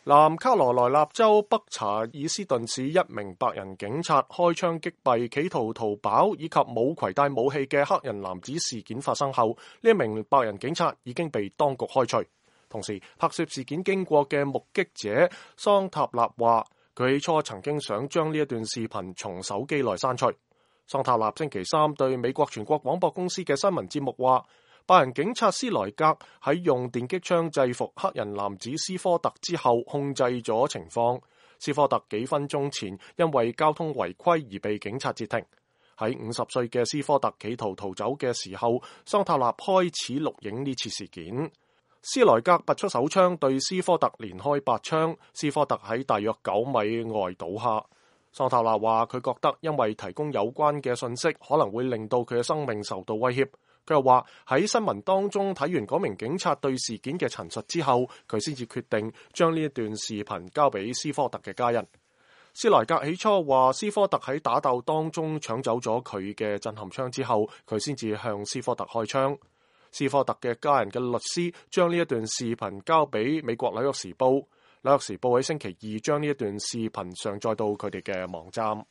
南卡羅來納州北查爾斯頓市一名白人警察開槍擊斃企圖逃跑以及冇攜帶武器嘅黑人男子事件發生後，呢一名白人警察已經被當局開除。同時，拍攝事件經過嘅目擊者桑塔納話，佢起初曾經想將呢一段視頻從手機內刪除。桑塔納星期三對美國全國廣播公司嘅新聞節目話，白人警察斯萊格喺用電擊槍制服黑人男子斯科特之後控制咗情況。斯科特幾分鐘前因為交通違規而被警察截停。喺50歲嘅斯科特企圖逃走嘅時候，桑塔納開始錄影呢次事件。斯萊格拔出手槍對斯科特連開8槍，斯科特喺大約9米外倒下。桑塔納話佢覺得因為提供有關嘅信息可能會令到佢嘅生命受到威脅。佢又話喺新聞當中睇完嗰名警察對事件嘅陳述之後，佢先至決定將呢一段視頻交俾斯科特嘅家人。斯萊格起初話斯科特喺打鬥當中搶走咗佢嘅震撼槍之後，佢先至向斯科特開槍。斯科特嘅家人嘅律師將呢一段視頻交俾美國紐約時報。紐約時報喺星期二將呢一段視頻上載到佢哋嘅網站。